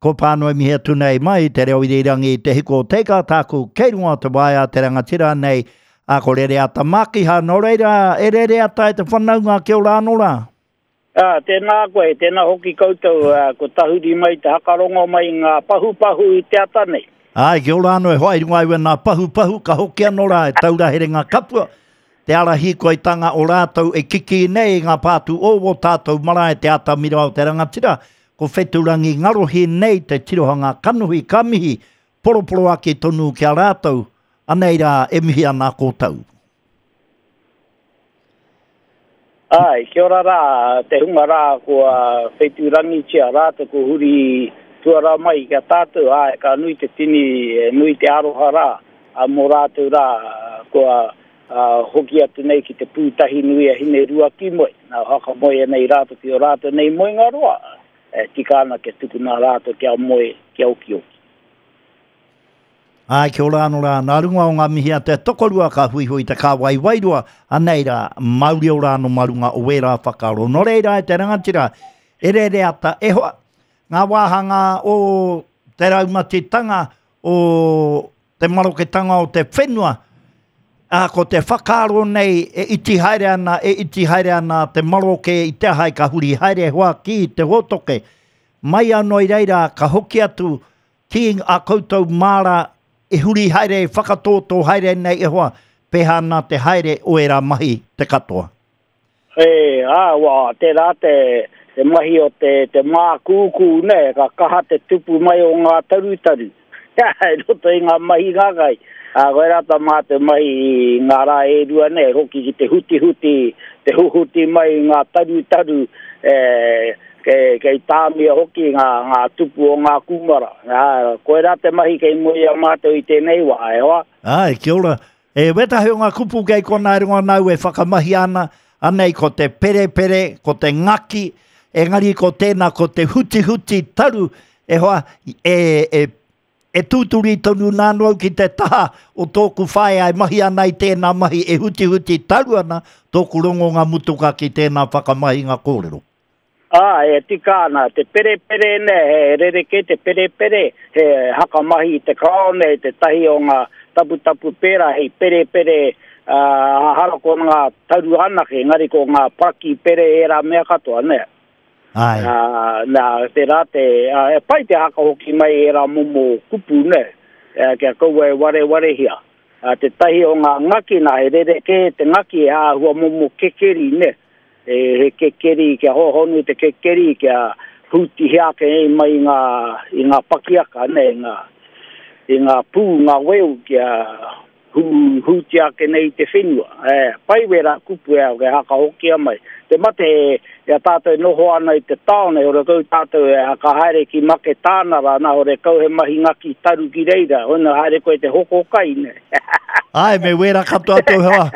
Ko Pānui mihi atu nei mai te reo irirangi i te hiko o Teika tāku kei runga o te waea te rangatira nei a ko Rereata Mākiha nō reira e Rereata e te whanaunga kia ora anō rā. Ā, tēnā koe, tēnā hoki koutou, ā, ko tahuri mai te hakarongo mai i ngā pahupahu i te ata nei. Āe, kia ora anō e hoa i runga i wēnā pahupahu ka hoki anō rā e taura herenga kapua te ara hīkoitanga o rātou e kikī nei i ngā pātū o wō tātou marae te atamira o te rangatira Ko Wheturangi Ngarohi nei te tirohanga kanohi ka mihi poroporoaki tonu ki a rātou, anei rā e mihi ana koutou. Āe, kia ora rā te hunga rā kua whetūrangitia rātou kua huri tuarā mai ki a tātou, āe, ka nui te tini, nui te aroha rā mō rātou rā kua hoki atu nei ki te pūtahi nui a Hineruakimoe, nā whakamoea nei rātou ki ō rātou nei moenga roa, e tika ana kia tukuna rātou kia moe, kia okioki. Āe, kia ora anō rā. Nā runga o ngā mihi a te tokorua ka huihui te kāwai wairua, anei rā, mauri ora anō mā runga o ērā whakaaro. Nō reira e te rangatira, e rere ata, e hoa, ngā wāhanga o te raumatitanga o te maroketanga o te whenua, ā, ko te whakaaro nei e iti haere ana, e iti haere ana te maroke i te aha ka huri haere hoa ki te hōtoke. Mai anō i reira ka hoki atu ki a koutou māra e huri haere, e whakatōtō haere nei e hoa, pēhā ana te haere o ērā mahi te katoa. E, ā, wā, tērā te, te mahi o te, te mākūkū, nē, ka kaha te tupu mai o ngā tarutaru i roto i ngā mahi ngākai. Ā, koirā tā mātou mahi i ngā rā e rua nei, hoki ki te hutihuti, te huhuti mai i ngā tarutaru, e, kei, kei tāmia hoki ngā, ngā tupu o ngā kūmara. Ā, koirā te mahi kei mua i a mātou i tēnei wā, e hoa. Āe, kia ora. E wētahi o ngā kupu kei konā e rongo ana au e whakamahia ana, anei ko te perepere, ko te ngaki, engari ko tēnā ko te hutihuti taru, e hoa, e, e, e tūturi tonu nā anō au ki te taha o tōku whaea e mahi ana i tēnā mahi e hutihuti taru ana tōku rongonga mutuka ki tēnā whakamahinga kōrero. Ā, e tika ana, te perepere nē, he rerekē te perepere, he hakamahi i te karaone, tētahi o ngā taputapu pērā hei perepere, ā, ehara ko ngā taru anake, engari ko ngā paraki pere ērā mea katoa, nē. Āe. Ā, nā, tērā te, ā, e pai te haka hoki mai ērā momo kupu, nē, kia kaua e warewarehia. Ā, tētahi o ngā ngaki, nā, he rerekē te ngaki, he āhua momo kekeri, nē. He kekeri, kia hōhonu te kekeri, kia hūtihia ake nei mai i ngā, i ngā pakiaka, nei, i ngā, i ngā pū, ngā weu, kia hū, hūtia ake nei i te whenua. E, pai wērā kupu e, e hakahokia mai. Te mate, i a tātou e noho ana i te tāone, horekau tātou e ka haere ki Maketānara, nā, horekau he mahi ngaki taru ki reira, hoina haere koe te hoko kai, ne. Āe, me wērā katoa tō hoa.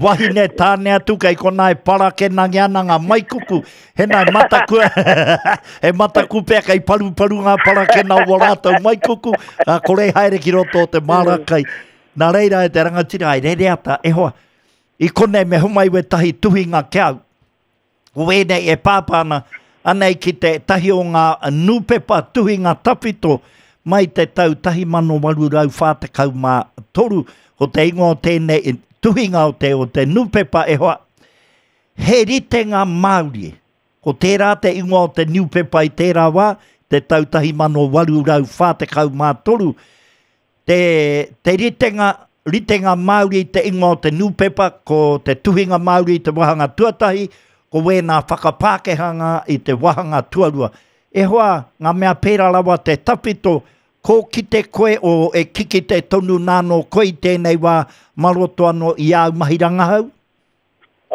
Wahine tāne atu kei konā e parakenangi ana ngā maikuku. Hena e mataku, he mataku pea kei paruparu ngā parakena o rātou maikuku, ka kore haere ki roto o te māra kai. Nā reira e te rangatira, ai rere ata, e hoa, i konei me homai wētahi tuhinga ki au. Ko wēnei e pāpā ana, anei ki te tahi o ngā nūpepa tuhinga tawhito mai te tau 1843, ko te ingoa o tēnei tuhinga o te, o te nūpepa e hoa, He ritenga Māori. Ko tērā te ingoa o te niupepa i tērā wā, te tau 1843, Te, te ritenga, ritenga Māori te ingoa o te nūpepa, ko te tuhinga Māori te wāhanga tuatahi, ko wēnā whakapākehanga i te wāhanga tuarua. E hoa, ngā mea pērā rawa te tawhito, kō kite koe o e kikite tonu nā nō koe i tēnei wā mā roto anō i āu mahi rangahau?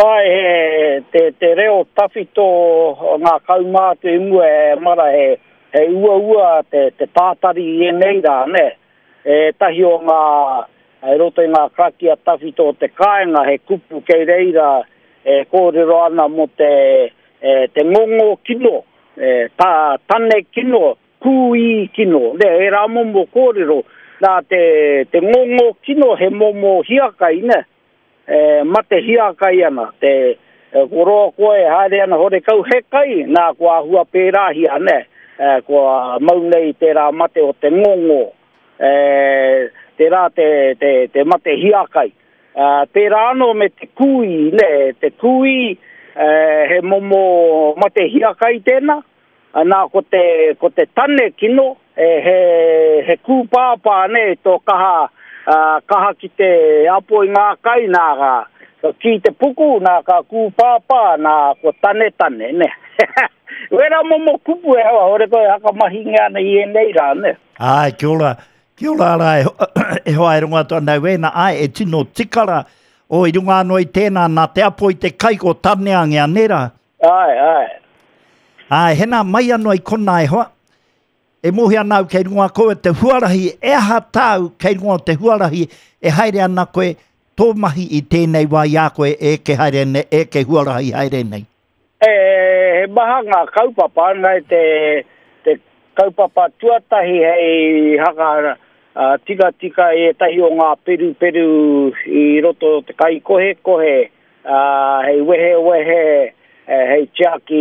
Āe, he, te, te reo tawhito o ngā kaumātua i mua e mara he, he uaua te, te tātari i ēnei rā, nē. Ētahi o ngā, i roto i ngā karakia tawhito o te kāinga, he kupu kei reira e kōrero ana mō te, e, te ngongo kino, e, tā, tane kino, kūī kino, nē, ērā momo kōrero, nā te, te ngongo kino he momo hiakai, nē. E mate hiakai ana, te ko roa koe e haere ana horekau he kai, nā kua āhua pērāhia, nē. Kua mau nei tērā mate o te ngongo, tērā te, te, te mate hiakai. Pērā anō me te kūī, nē, te kūī, he momo mate hiakai tēnā, nā, ko te, ko te tane kino, he, he kūpāpā, nē, tō kaha, kaha ki te apo i ngā kai, nā, ka kī te puku, nā, ka kūpāpā, nā, ko tanetane, nē. Wērā momo kupu e hawa, hore koe hakamahingia ana i ēnei rā, nē. Āe, kia ora, kia ora rā e, e hoa e rongo atu ana i wēnā, āe, e tino tika rā, o i runga anō i tēnā, nā te apo i te kai ko Taneangia, nē rā? Āe, āe. Āe, hena mai anō i konā e hoa, e mōhio ana au kei runga koe te huarahi, e aha tāu kei runga o te huarahi e haere ana koe tō mahi i tēnei wā i a koe e eke haere nei, e eke huarahi haere nei? He maha ngā kaupapa, ngai te, te kaupapa tuatahi hei haka tikatika i ētahi o ngā peruperu i roto o te kaikohekohe, hei wehewehe, hei tiaki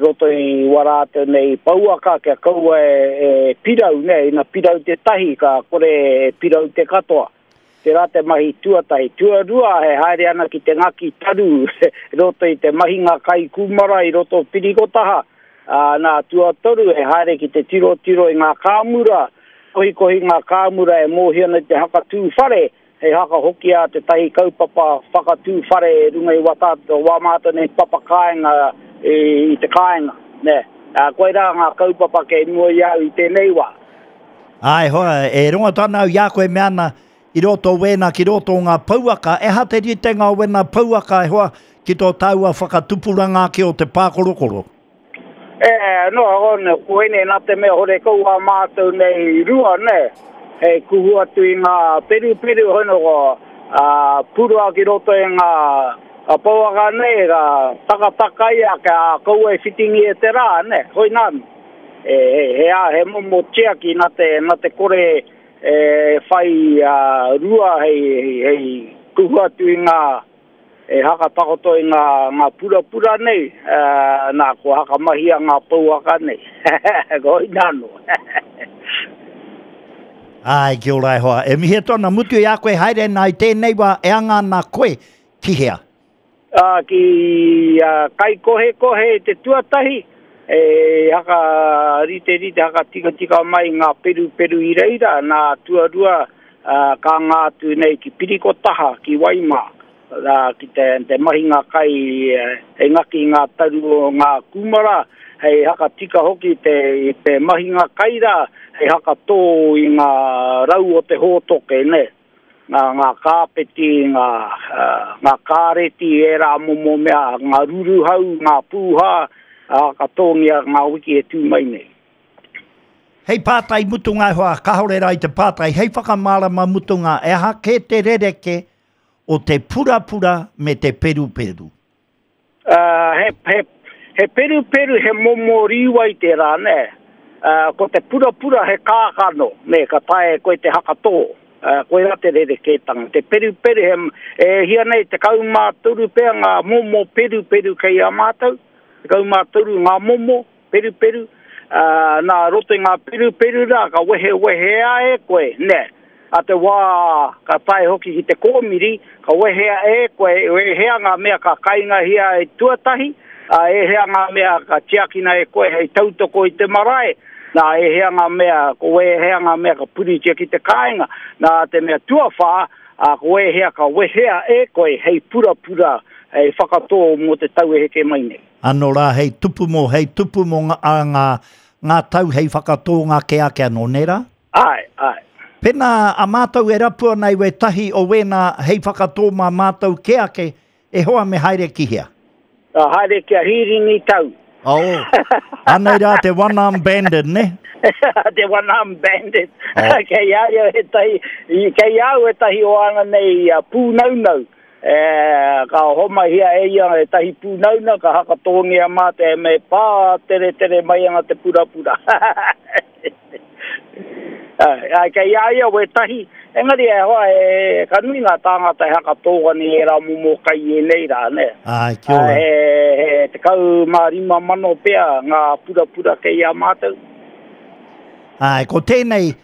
roto i wā rātou nei pouaka kia kaua e pirau, nē, ina pirau tētahi ka kore e pirau te katoa. Tērā te mahi tuatahi. Tuarua, e haere ana ki te ngaki taru i roto i te mahinga kai kūmara i roto o Pirikotaha. Ā, nā, tuatoru, e haere ki te tirotiro i ngā kāmura, kohikohi ngā kāmura e mōhio ana i te hakatū whare, hei hakahokia tētahi kaupapa whakatū whare i runga i wā tātou, wā mātou nei papa kāinga i te kāinga, nē. Ā, koirā ngā kaupapa kei mua i a au i tēnei wā. Āe hoa, e rongo atu ana au i a koe me ana i roto o wēnā ki roto o ngā pouaka, e aha te ritenga o wēnā pouaka e hoa ki tō tāua whakatupuranga ake o te pākorokoro? E, no, no, koinei nā te mea horekau ā mātou nei rua, nē, hei kuhu atu i ngā peruperu, hoi no, ā, purua ki roto i ngā pouaka nei, ka takatakaia kia kaua e whitingi e te rā, nē, hoi nā. He, he, he momo tiaki na te, na te kore e whai rua hei, hei, hei kuhu atu i ngā, e hakatakoto i ngā, ngā purapura nei, nā, kua hakamahia ngā pouaka nei. Koina anō. Āe, kia ora e hoa. E mihi atu ana, mutu i a koe haere nā i tēnei wā e anga ana koe ki hea? Ā, ki a Kaikohekohe te tuatahi, e hakariterite, hakatikatika mai ngā peruperu i reira, nā tuarua ka anga atu nei ki Pirikotaha, ki Waimā, rā, ki te, te mahinga kai hei ngaki i ngā taru o ngā kūmara, hei hakatika hoki te, te mahinga kai rā, hei hakatō i ngā rau o te hōtoke, nē. ngā, ngā kāpeti, ngā, ngā kāreti, ērā momo mea, ngā ruruhau, ngā pūhā, ā, ka tōngia ngā wiki e tū mai nei. Hei pātai mutunga e hoa, kāore rā i te pātai, hei whakamārama mutunga, e aha kē te rerekē o te purapura me te peruperu? He, he, he peruperu, he momo rīwai tērā, nē. Ko te purapura he kākano, nē, ka taea e koe te hakatō. Koirā te rerekētanga. Te peruperu, he, e hia nei, 13 pea ngā momo peruperu kei a mātou, 13 ngā momo peruperu, ā, nā roto i ngā peruperu rā, ka wehewehea e koe, nē. A te wā ka tae hoki ki te kōmiri, ka wehea e koe, ēhea ngā mea ka kaingahia e tuatahi, ā, ēhea ngā mea ka tiakina e koe hei tautoko i te marae, nā, ēhea ngā mea, ko ēhea ngā mea ka puritia ki te kāinga, nā te mea tuawhā, ā, ko ēhea ka wehea e koe hei purapura, hei whakatō mō te tau e heke mai nei. Anō rā hei tupu mō, hei tupu mō ngā, ngā, ngā tau hei whakatōnga kē ake anō, nē rā? Āe, āe. Pēnā a mātou e rapu ana i wētahi o wēnā hei whakatō mā mātou kē ake, e hoa me haere ki hea? Ka haere ki a Hīrini Tau. Oh, anei rā te one arm bandit, ne? Te one arm bandit. Oh. Kei a ia ētahi, kei a au ētahi o ana nei pūnaunau. E, ka homahia e ia ētahi pūnauna, ka hakatōngia mā te me pā teretere mai ana te purapura. Ai, kei a ia wētahi, engari e hoa, e, ka nui ngā tāngata e haka tōgani e rā momo kai i ēnei rā, nē. Ai, kia ora. He, he 15,000 pea ngā purapura kei a mātou. Ai, ko tēnei,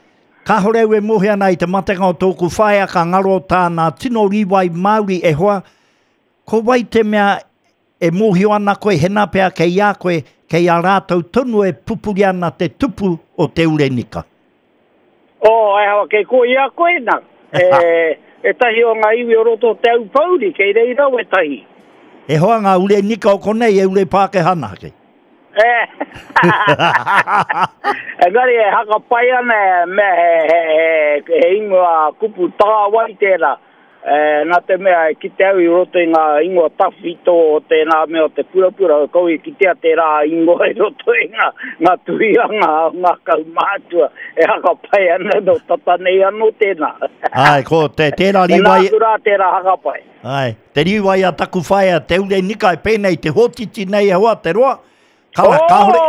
kāhore au e mōhio ana i te matenga o tōku whaea ka ngaro tāna tino rīwai Māori e hoa, ko wai te mea E mōhio ana koe hena pea kei a koe, kei a rātou tonu e pupuri ana te tupu o te urenika. Oh, e hawa, kei koe i a koe na. E, etahi o nga iwi o roto o Te Aupouri, kei reira wetahi. E hoa nga urenika o konei e ure Pākehā anake. E. Engari e haka pai ana e mea he, he, he, he ingoa kupu tāwai tērā. E, nā te mea e kite au i roto i ngā ingoa tawhito o tēnā mea o te purapura, kau i kitea tērā ingoa i roto i ngā, ngā tuhianga o ngā kaumātua e haka pai ana nō tata nei anō tēnā. Ai, ko te, tērā riwai... E nāku rā tērā haka pai. Ai, te riwai a taku whaea, te ure nika e pēnei te hōtiti nei e hoa te roa. Ka, oh, kāore...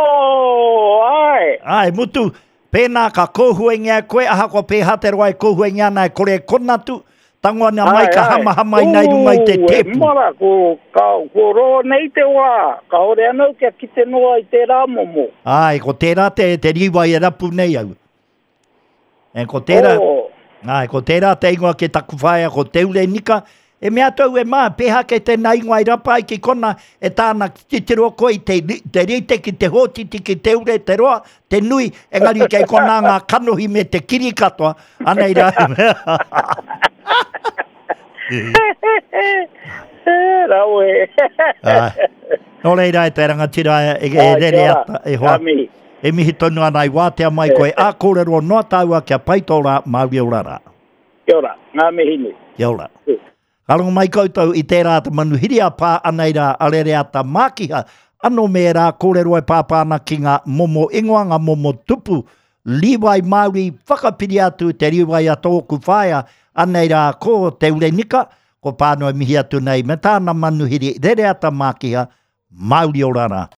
Ai. Ai, mutu, Pēnā ka kōhuengia koe, ahakoa pēhā te roa e kōhuengia ana e kore e konatu, tango ana mai ka hamahama ina i runga i te tēpu. Ū, e mara, ko, ka, ko roa nei te wā, kāore anō kia kite noa i tērā momo. Āe, ko tērā te, te rīwai e rapu nei au. E, ko tērā, oh. Āe, ko tērā te ingoa ki taku whaea, ko Te Urenika. E mea atu au e mā, pēhā kei tēnā ingoa i rapa ai ki kona, e tāna titiro koe i te, te rite ki te hōtiti, ki te ure, te roa, te nui, engari kei konā ngā kanohi me te kiri katoa. Anei rā. Rawe. Nō reira e te rangatira e, e rere ata, e hoa. E mihi tonu ana i wātea mai koe, ā kōrero noa tāua kia pai tō rā, Māori ora rā. Kia ora, ngā mihi nui. Kia ora. Ka rongo mai koutou i tērā te manuhiri a pā ana i rā a Rereata Mākiha, anō me ērā kōrero e pāpā ana ki ngā momo ingoa, ngā momo tupu, rīwai Māori, whakapiri atu te rīwai a tōku whaea, anei rā ko Te Urenika, ko Pānua mihi atu nei me tāna manuhiri Rereata Mākiha, Māori ora rā.